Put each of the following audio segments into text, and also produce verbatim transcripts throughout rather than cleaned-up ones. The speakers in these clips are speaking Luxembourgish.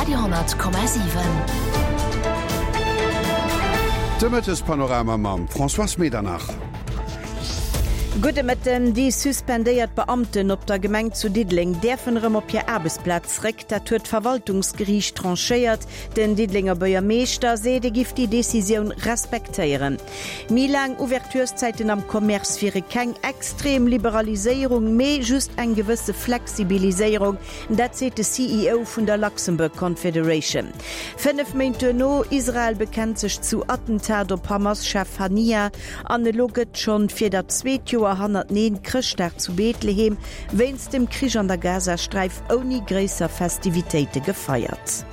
Radio honnert Komma siwen. De Mëttespanorama mam Françoise Medernach. Gudde Mëtten. Déi suspendéiert Beamten op der Gemeng zu Diddeleng däerfen erëm op hir Aarbechtsplaz zréck. Dat huet d'Verwaltungsgeriicht tranchéiert. Den Diddelenger Buergermeeschter seet, e giff déi Decisioun respektéieren. Méi laang Ouvertureszäiten am Commerce wiere keng extrem Liberaliséierung, mee just eng gewësse Flexibiliséierung. Dat seet de C E O vun der Luxembourg Confederation. Fënnef Méint duerno, Israel bekennt sech zu Attentat op Hamas-Chef Haniyeh an elo gëtt schonn fir dat zweet Joer hannerteneen Chrëschtdag zu Bethlehem wéinst dem Krich an der Gazasträif ouni gréisser Festivitéite gefeiert.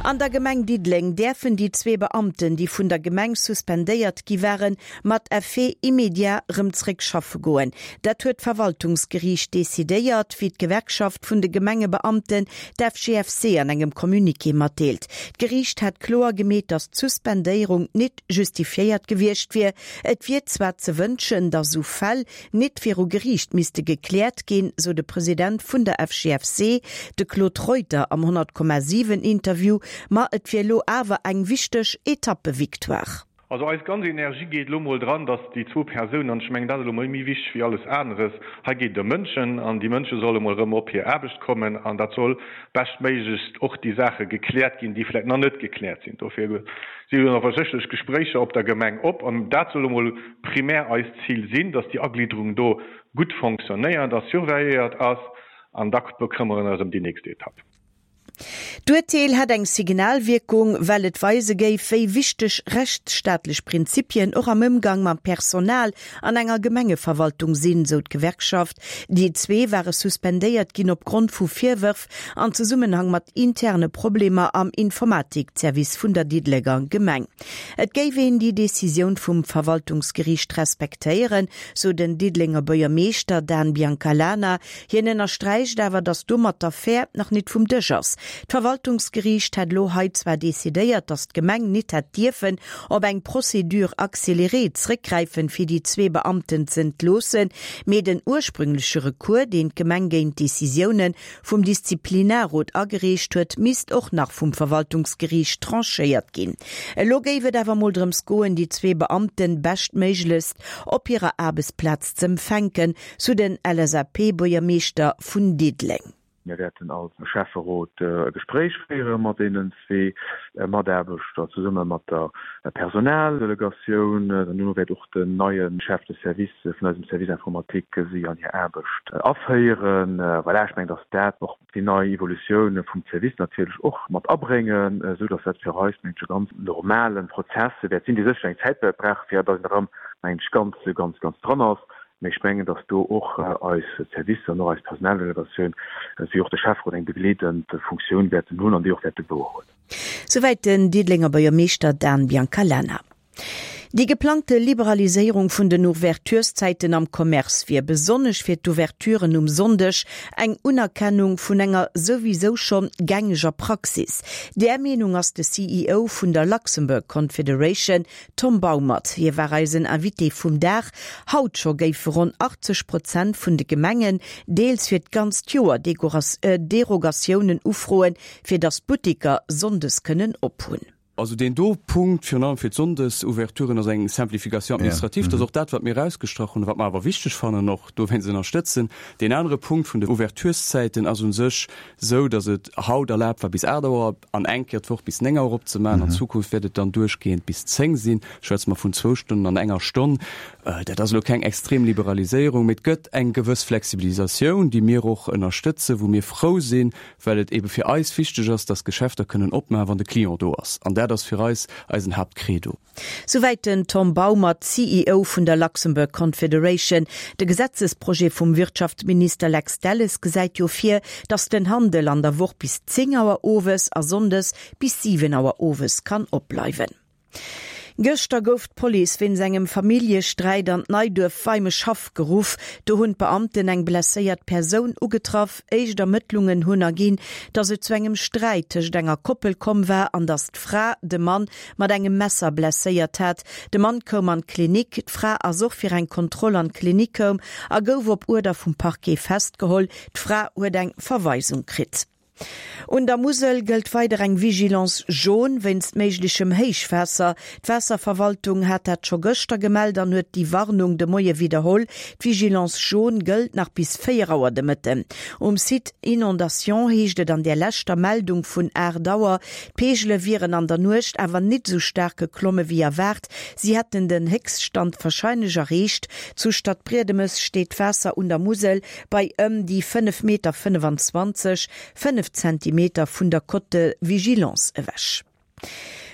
An der Gemeng Diddeleng däerfen déi zwee Beamten, déi vun der Gemeng suspendéiert gi waren, mat Effet immédiat rëm zréck schaffe goen. Dat huet d'Verwaltungsgeriicht decidéiert, wéi d'Gewerkschaft vun de Gemengebeamten, d'F G F C, an engem Communiqué matdeelt. D'Geriicht hat kloer gemeet, datt d'Suspendéierung net justifiéiert gewiescht wier. Et wier zwar ze wënschen, datt sou Fäll net viru Geriicht misste gekläert ginn, sou de President vun der F G F C, de Claude Reuter am honnert Komma siwen Interview, ma et wier lo awer eng wichteg Etappe-Victoire. Also eis ganz Energie geet lo mol dran, dass déi zwou Persounen, an ech mengen, dat ass elo mol méi wichteg wéi alles aneres, hei geet et ëm Mënschen an déi Mënsche solle mol erëm op hir Aarbecht kommen an dat soll beschtméiglechst och déi Saache gekläert ginn, déi vläicht nach net gekläert sinn. Dofir si jo awer sécherlech Gespréicher op der Gemeng op an dat soll elo mol primär eist Zil sinn, dass déi Agliederung do gutt fonctionnéiert a surveilléiert ass an da bekëmmere eis ëm déi nächst Etapp. D'Urteel hätt eng Signalwierkung, well et weise géif, wéi wichteg rechtsstaatlech Prinzipien och am Ëmgang mam Personal an enger Gemengeverwaltung sinn, sou d'Gewerkschaft. Déi zwee ware suspendéiert ginn opgrond vu Virwërf an Zesummenhang mat interne Problemer am Informatikservice vun der Diddelenger Gemeng. Et géif een déi Decisioun vum Verwaltungsgeriicht respektéieren, sou den Diddelenger Buergermeeschter Dan Biancalana. Hien ënnersträicht awer, datt domat d'Affär nach net vum Dësch ass. D'Verwaltungsgeriicht hätt lo hei zwar decidéiert, datt d'Gemeng net hätt dierfen op eng Procédure accélérée zréckgräifen, fir déi zwee Beamten ze entloossen, mee den ursprüngleche Recours, deen d'Gemeng géint d'Decisioune vum Disziplinarrot agereecht huet, misst och nach vum Verwaltungsgeriicht tranchéiert ginn. Elo géif et awer mol drëms goen, déi zwee Beamten beschtméiglechst op hirer Aarbechtsplaz z'empfänken, sou den L S A P-Buergermeeschter vun Diddeleng. Mir wäerten als Schäfferot e Gespréich féiere mat deenen zwee Mataarbechter zesumme mat der Personaldelegatioun. Duerno wäert och den neie Chef de Service vun eisem Service Informatique si an hir Aarbecht aféieren. Voilà, ech mengen, datt dat och déi nei Evolutioun vum Service natierlech och mat abréngen, esou datt dat fir eis, mengen ech, e ganz normale Prozess wäert sinn, dee sécher eng Zäit wäert brauchen, fir datt een erëm, mengen ech, ganz, ganz, ganz dran ass. Mee ech mengen, datt do och eis Servicer an och eis Personaldelegatioun wéi och de Schäfferot eng begleedend Funktioun wäerten hunn an déi och wäerte wouerhuelen. Souwäit den Diddelenger Buergermeeschter Dan Biancalana. Déi geplangte Liberaliséierung vun den Ouvertureszäiten am Commerce wier besonnesch fir d'Ouverturen um Sonndeg eng Unerkennung vun enger souwisou schonn gängeger Praxis. Där Meenung ass de C E O vun der Luxembourg Confederation, Tom Baumert. Hie war eisen Invité vum Dag. Haut scho géife ronn achtzeg Prozent vun de Gemengen deels fir d'ganzt Joer Derogatiounen ufroen, fir datt d'Butteker sonndes kënnen ophunn. Also deen do Punkt, virun allem fir d'Sonndesouverturen, ass eng Simplification administrative. Dat ass och dat, wat mir erausgestrach hunn, wat mer awer wichteg fannen, och dowéinst ënnerstëtzen. Deen anere Punkt vun de Ouvertureszäiten ass u sech esou, datt et haut erlaabt war bis aacht Auer an eng Kéier d'Woch bis néng Auer opzemaachen. An Zukunft wäert et dann duerchgehend bis zéng sinn. Schwätze mer vun zwou Stonnen an enger Stonn. Dat ass elo keng extrem Liberaliséierung, mee et gëtt eng gewëss Flexibilisatioun, déi mir och ënnerstëtzen, wou mir frou sinn, well et ebe fir eis wichteg ass, dass d'Geschäfter kënnen opmaachen, wann de Client do ass. An dat ass fir eis eisen Haaptcredo. Souwäit den Tom Baumert, C E O vun der Luxembourg Confederation. De Gesetzesprojet vum Wirtschaftsminister Lex Delles gesäit jo vir, datt den Handel an der Woch bis zéng Auer owes a sonndes bis siwen Auer owes kann opbleiwen. Gëschter gouf d'Police wéinst engem Familljesträit an d'Neiduerf Weimeschhaff geruff. Do hunn d'Beamten eng blesséiert Persoun ugetraff. Éischt Ermëttlungen hunn erginn, datt et zu engem Sträit tëscht enger Koppel komm war an datt d'Fra de Mann mat engem Messer blesséiert hat. De Mann koum an d'Klinik, d'Fra ass och fir eng Kontroll an d'Klinik koum a gouf op Uerder vum Parquet festgeholl. D'Fra huet eng Verweisung kritt. Un der Musel gëllt weider eng Vigilance jaune wéinst méiglechem Héichwaasser. D'Waasserverwaltung hat dat scho gëschter gemellt an huet déi Warnung de Moie widderholl. D'Vigilance jaune gëllt nach bis véier Auer de Mëtten. Um Site Inondations heescht et an der leschter Meldung vun aacht Auer, d'Peegele wieren an der Nuecht awer nit esou staark geklomme wéi erwaart. Si hätten den Héchststand warscheinlech erreecht. Zu Stadbriedemes steet d'Waasser un der Musel bei ëm déi fënnef Meter fënnefenzwanzeg, fënnef Zentimeter vun der Cote de vigilance ewech.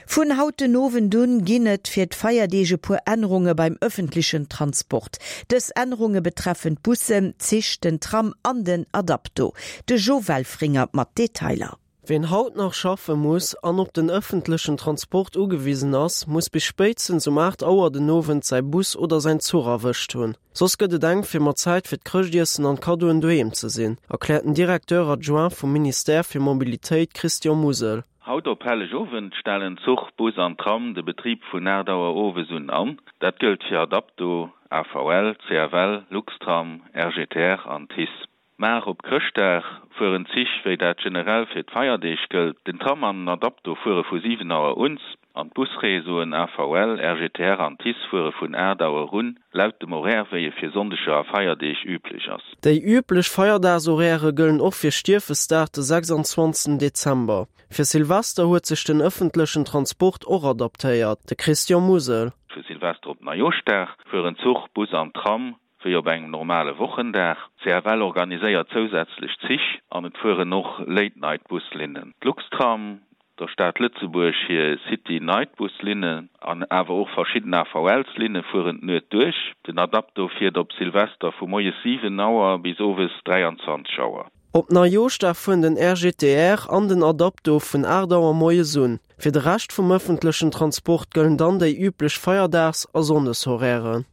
Vun haut den Owend un ginn et fir d'Feierdeeg e puer Ännerunge beim ëffentlechen Transport. Dës Ännerunge betreffen d'Bussen, d'Zich, den Tram an den Adapto. De Jo Welfringer mat Detailer. Wien haut nach schaffe muss an op den ëffentlechen Transport ugewisen ass, muss bis spéitstens um aacht Auer den Owend säi Bus oder säin Zuch erwëscht hunn. Soss gëtt et enk fir mat Zäit fir d'Chrëschtiessen an d'Kaddoen doheem ze sinn, erkläert den Directeur adjoint vum Ministère fir Mobilitéit Christian Musel. Haut op Hellegowend stellen Zuch, Bus an Tram de Betrib vun aacht Auer owes un an. Dat gëllt fir Adapto, AVL, CFL, Luxtram, R G T R an TICE. Mar op Chrëschtdag fueren d'Zich, wéi dat generell fir d'Feierdeeg gëllt. Den Tram an den Adapto fuere vu siwen Auer un an d'Busreseauen A V L, R G T R an TICE fuere vun aacht Auer un, laut dem Horaire wéi e fir Sonndeger a Feierdeeg üblech ass. Déi üblech Feierdagshorairen gëllen och fir Stiefesdag, de sechsanzwanzegsten Dezember. Fir Silvester huet sech den ëffentlechen Transport och adaptéiert, de Christian Musel. Vu Silvester op Neijooschdag fueren Zuch, Bus an Tram wéi op engem normale Wochendag. C F L organiséiert zousätzlech Zich an et fueren och Late-Night-Buslinnen. D'Luxtram, der Stad Lëtzebuerg hir City-Night-Buslinnen an awer och verschidden A V Ls-Linne fueren d'Nuet duerch. Den Adapto fiert op Silvester vu moies siwen Auer bis owes dräianzwanzeg Auer. Op Neijooschdag fueren den R G T R an den Adapto vun aacht Auer moies un. Fir de Rescht vum ëffentlechen Transport gëllen dann déi üblech Feierdags a Sonndeshorairen.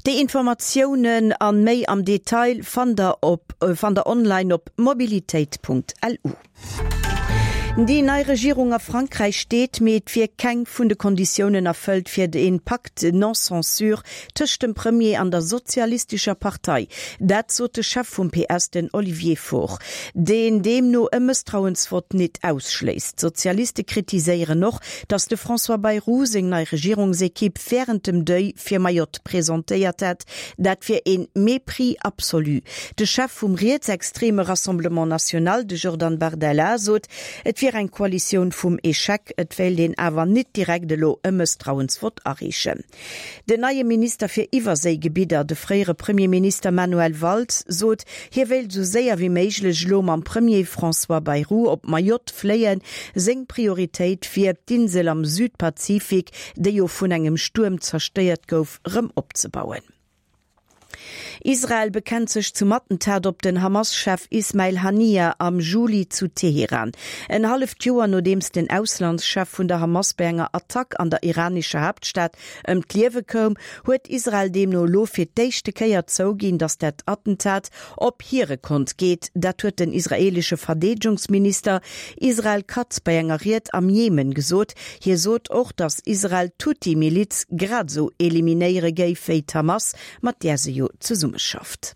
Déi Informatiounen an méi am Detail fannt der op fannt der online op mobilitéit Punkt L U. Déi nei Regierung a Frankräich steet, mee et wier keng vun de Konditiounen erfëllt fir de Pacte non-censure tëscht dem Premier an der sozialistescher Partei. Dat sot de Chef vum P S, den Olivier Faure, deen deemno e Mësstrauensvott net ausschléisst. D'Sozialiste kritiséieren och, datt de François Bayrou seng nei Regierungsekipp wärend dem Deuil fir Mayotte presentéiert hätt. Dat wier een Mépris absolu. De Chef vum rietsextreme Rassemblement National, de Jordan Bardella, sot, et wier eng Koalitioun vum Echec, et wéilt een awer net direkt elo e Mësstrauensvott areechen. Den neie Minister fir Iwwerséigebidder, de fréiere Premierminister Manuel Valls, sot, hie wéilt sou séier wéi méiglech elo mam Premier François Bayrou op Mayotte fléien. Seng Prioritéit wier, d'Insel am Südpazifik, déi jo vun engem Stuerm zerstéiert gouf, rëm opzebauen. Israel bekennt sech zum Attentat op den Hamas-Chef Ismail Haniyeh am Juli zu Teheran. En halleft Joer nodeems den Auslandschef vun der Hamas bei enger Attack an der iranescher Haaptstad ëm d'Liewe koum, huet Israel deemno elo fir d'éischte Kéier zouginn, datt dat Attentat op hire Kont geet. Dat huet den israeelesche Verdeedegungsminister Israel Katz bei enger Ried am Jemen gesot. Hie sot och, datt Israel d'Huthi-Miliz grad sou eliminéiere géif wéi d'Hamas, mat där se jo zesummeschafft.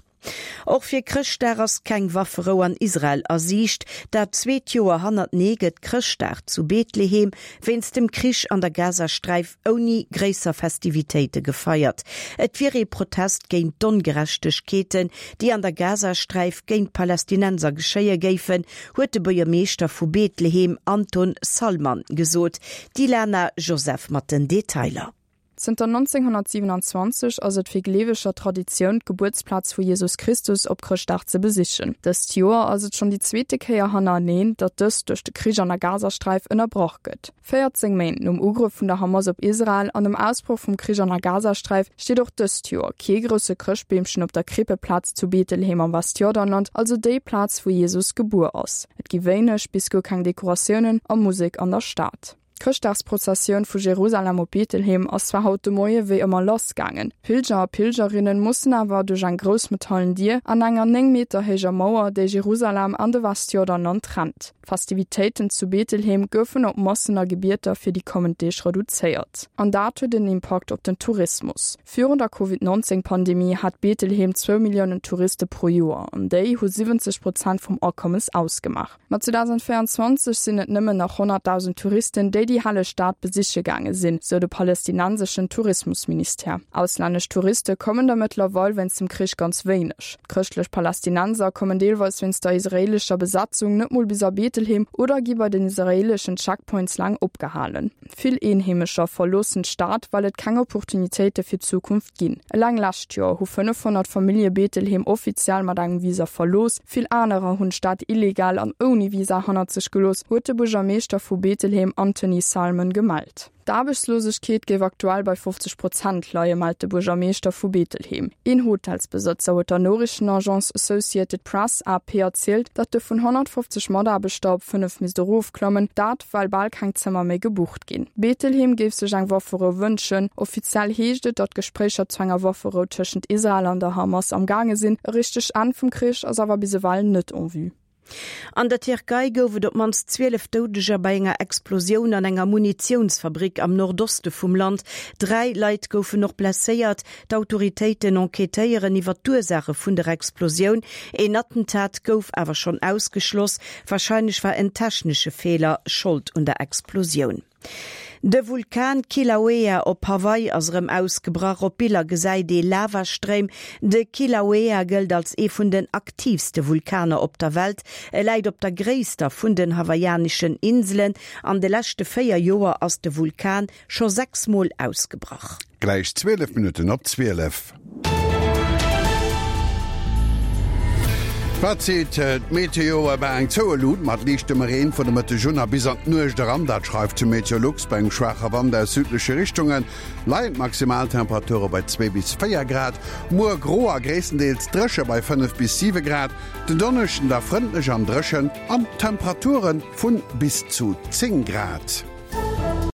Och fir Chrëschtdag ass keng Wafferou an Israel a Siicht. Dat zweet Joer hannertenee gëtt Chrëschtdag zu Bethlehem wéinst dem Krich an der Gazasträif ouni gréisser Festivitéite gefeiert. Et wier ee Protest géint d'Ongerechtegkeeten, déi an der Gazasträif géint d'Palästinenser geschéie géifen, huet de Buergermeeschter vu Bethlehem Anton Salman gesot. D'Ilana Joseph mat den Detailer. Zënter nonzénghonnertsiewenanzwanzeg ass et fir Gleeweger Traditioun, d'Gebuertsplaz vu Jesus Christus op Chrëschtdag ze besichen. Dëst Joer ass et schonn déi zweete Kéier hannereneen, datt dëst duerch de Krich an der Gazasträif ënnerbrach gëtt. véierzéng Méint nom Ugrëff vun der Hamas op Israel an dem Ausbroch vum Krich an der Gazasträif steet och dëst Joer kee grousse Chrëschtbeemchen op der Krippeplaz zu Bethlehem am Westjordanland, also déi Plaz wou Jesus gebuer ass. Et gi wéineg bis guer keng Dekoratiounen a Musek an der Stad. D'Chrëschtdagsprozessioun vu Jerusalem op Betlehem ass zwar haut de Moie wéi ëmmer lassgaangen. D'Pilger a Pilgerinnen mussen awer duerch eng grouss metallen Dier an enger néng Meter héijer Mauer, déi Jerusalem an de Westjordanland trennt. D'Festivitéiten zu Betlehem goufen op Massen a Gebieter fir déi kommend Deeg reduzéiert. An dat huet en Impakt op den Tourismus. Virun der Covid neunzéng Pandemie hat Betlehem zwou Milliounen Touriste pro Joer, an déi hu siwwenzeg Prozent vum Akommes ausgemaach. Ma zweedausendvéierundzwanzeg sinn et nëmmen nach honnertdausend Touristen, déi déi helleg Stad besiche gaange sinn, sou de palästinenseschen Tourismusministère. Auslännesch Touriste kommen der mëttlerweil wéinst dem Krich ganz wéineg. Chrëschtlech Palästinenser kommen deelweis wéinst der israeelescher Besatzung net mol bis a Betlehem oder gi bei den israeeleschen Checkpoints laang opgehalen. Vill Eenheemescher verloossen d'Stad, well et keng Opportunitéite fir d'Zukunft ginn. Eleng lescht Joer hu fënnefhonnert Famillje Betlehem offiziell mat engem Visa verlooss, vill anerer hunn d'Stad illegal an ouni Visa hannert sech gelooss, huet de Buergermeeschter vu Betlehem Anthony Salmon gemellt. D'Aarbechtslosegkeet géif aktuell bei fofzeg Prozent leien, mellt de Buergermeeschter vu Betlehem. Een Hotelsbesëtzer huet der Noriichtenagence Associated Press, A P, erzielt, datt e vun honnertfofzeg Mataarbechter op fënnef misst erofklammen, dat well bal keng Zëmmer méi gebucht ginn. Betlehem géif sech eng Wafferou wënschen. Offiziell heescht et, datt Gespréicher zu enger Wafferou tëschent Israel an der Hamas am gaange sinn. E richtegt Enn vum Krich ass awer bis ewell net en vue. An der Tierkei gouf et op d'mannst zwielef Doudeger bei enger Explosioun an enger Munitiounsfabrik am Nordoste vum Land. Dräi Leit goufen och blesséiert. D'Autoritéiten enquêtéieren iwwer d'Ursaache vun der Explosioun. En Attentat gouf awer schonn ausgeschloss. Warscheinlech war en technesche Feeler Schold un der Explosioun. De Vulkan Kilauea op Hawaii ass erëm ausgebrach. Op Biller gesäit ee Lavastréim. De Kilauea gëllt als ee vun den aktiivste Vulkaner op der Welt. E läit op der gréisster vun den hawaiianeschen Inselen. An de leschte véier Joer ass de Vulkan scho sechs Mol ausgebrach. Gläich zwielef Minutten op zwielef. Wat seet d'Meteo? Ebe eng zoue Lut mat liichtem Reen vun de Mëtteg un a bis an d'Nuecht eran, dat schreift Meteolux. Bei engem schwaache Wand aus südleche Richtunge leien d'Maximaltemperature bei zwee bis véier Grad. Muer gro a gréisstendeels dréche bei fënnef bis siwe Grad. Den Donneschden da frëndlech an dréchen an Temperature vu bis zu zéng Grad.